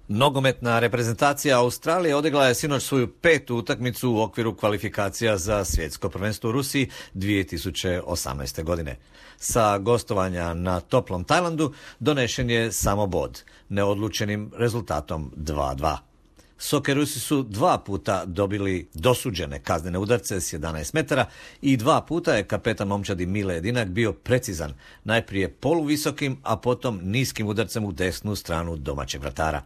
Nogometna reprezentacija Australije odigrala je sinoć svoju 5. utakmicu u okviru kvalifikacija za svjetsko prvenstvo u Rusiji 2018. godine. Sa gostovanja na toplom Tajlandu donešen je samo bod, neodlučenim rezultatom 2:2. Sokerusi su 2 puta dobili dosuđene kaznene udarce s 11 metara i 2 puta je kapetan momčadi Mile Jedinak bio precizan, najprije poluvisokim, a potom niskim udarcem u desnu stranu domaćeg vratara.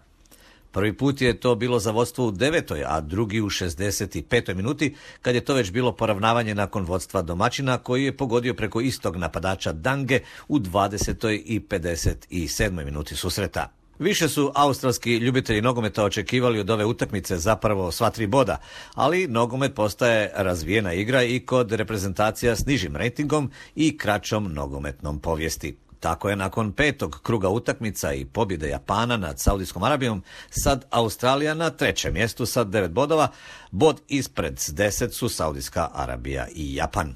Prvi put je to bilo za vodstvo u 9., a drugi u 65. minuti, kad je to već bilo poravnavanje nakon vodstva domaćina, koji je pogodio preko istog napadača Dange u 20. i 57. minuti susreta. Više su australski ljubitelji nogometa očekivali od ove utakmice zapravo sva 3 boda, ali nogomet postaje razvijena igra i kod reprezentacija s nižim rejtingom i kraćom nogometnom povijesti. Tako je nakon 5. kruga utakmica i pobjede Japana nad Saudijskom Arabijom sad Australija na 3. mjestu sa 9 bodova, bod ispred s 10 su Saudijska Arabija i Japan.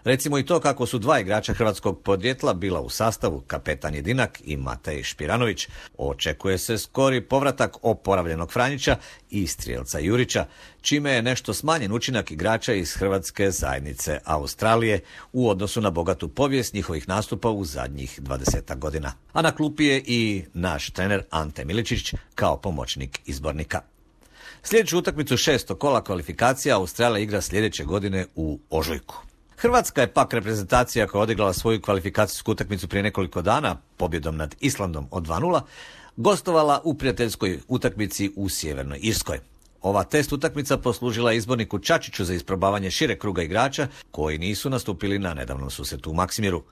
Recimo i to kako su 2 igrača hrvatskog podrijetla bila u sastavu, kapetan Jedinak i Matej Špiranović. Očekuje se skori povratak oporavljenog Franjića i strijelca Jurića, čime je nešto smanjen učinak igrača iz hrvatske zajednice Australije u odnosu na bogatu povijest njihovih nastupa u zadnjih 20 godina. A na klupi je i naš trener Ante Miličić kao pomoćnik izbornika. Sljedeću utakmicu 6. kola kvalifikacija Australija igra sljedeće godine u ožujku. Hrvatska je pak reprezentacija koja je odigrala svoju kvalifikacijsku utakmicu prije nekoliko dana pobjedom nad Islandom od 2:0, gostovala u prijateljskoj utakmici u Sjevernoj Irskoj. Ova test utakmica poslužila izborniku Čačiću za isprobavanje šireg kruga igrača koji nisu nastupili na nedavnom susretu u Maksimiru.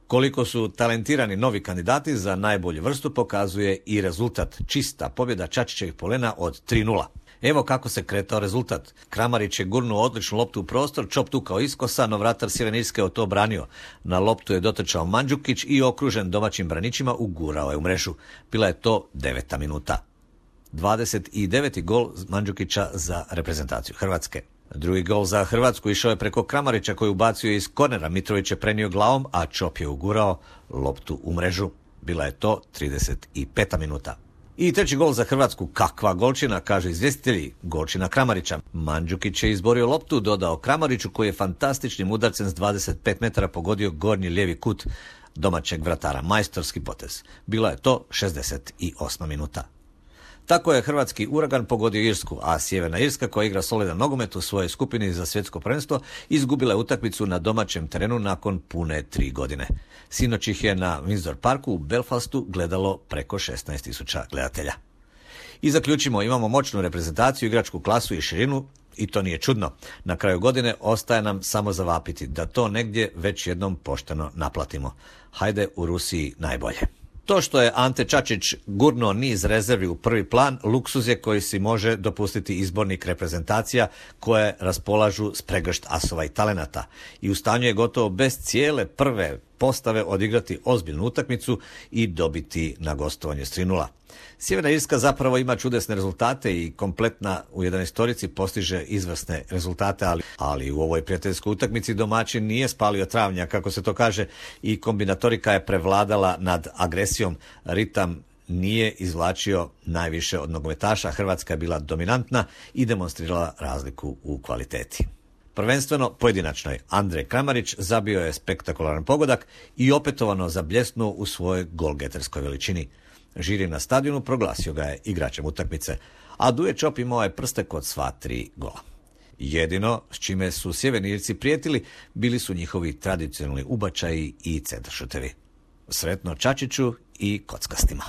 Koliko su talentirani novi kandidati za najbolju vrstu pokazuje i rezultat, čista pobjeda Čačićevih polena od 3:0. Evo kako se kretao rezultat. Kramarić je gurnuo odličnu loptu u prostor, čop tukao iskosa, no vratar Sjeverne Irske od to branio. Na loptu je dotrčao Mandžukić i okružen domaćim braničima ugurao je u mrežu. Bila je to 9. minuta. 29. gol Mandžukića za reprezentaciju Hrvatske. Drugi gol za Hrvatsku išao je preko Kramarića koji ubacio iz kornera. Mitrović je prenio glavom, a Čop je ugurao loptu u mrežu. Bila je to 35. minuta. I treći gol za Hrvatsku, kakva golčina, kaže izvjestitelji, golčina Kramarića. Mandžukić je izborio loptu, dodao Kramariću koji je fantastičnim udarcem s 25 metara pogodio gornji lijevi kut domaćeg vratara. Majstorski potez. Bila je to 68. minuta. Tako je hrvatski Uragan pogodio Irsku, a Sjeverna Irska, koja igra solidan nogomet u svojoj skupini za svjetsko prvenstvo, izgubila je utakmicu na domaćem terenu nakon pune 3 godine. Sinoć ih je na Windsor Parku u Belfastu gledalo preko 16.000 gledatelja. I zaključimo, imamo moćnu reprezentaciju, igračku klasu i širinu, i to nije čudno. Na kraju godine ostaje nam samo zavapiti da to negdje već jednom pošteno naplatimo. Hajde u Rusiji najbolje. To što je Ante Čačić gurnuo niz rezervi u prvi plan, luksuz je koji si može dopustiti izbornik reprezentacija koje raspolažu s pregršt asova i talenata. I u stanju je gotovo bez cijele prve postave odigrati ozbiljnu utakmicu i dobiti na gostovanje s 3:0. Sjeverna Irska zapravo ima čudesne rezultate i kompletna u 11-torici postiže izvrsne rezultate, ali u ovoj prijateljskoj utakmici domaćin nije spalio travnja, kako se to kaže, i kombinatorika je prevladala nad agresijom. Ritam nije izvlačio najviše od nogometaša, Hrvatska je bila dominantna i demonstrirala razliku u kvaliteti. Prvenstveno pojedinačnoj Andrej Kramarić zabio je spektakularan pogodak i opetovano zabljesnuo u svojoj golgeterskoj veličini. Žiri na stadionu proglasio ga je igračem utakmice, a Duje Čop imao je prste kod sva 3 gola. Jedino s čime su Sjeverni Irci prijetili bili su njihovi tradicionalni ubačaji i centaršutevi. Sretno Čačiću i kockastima.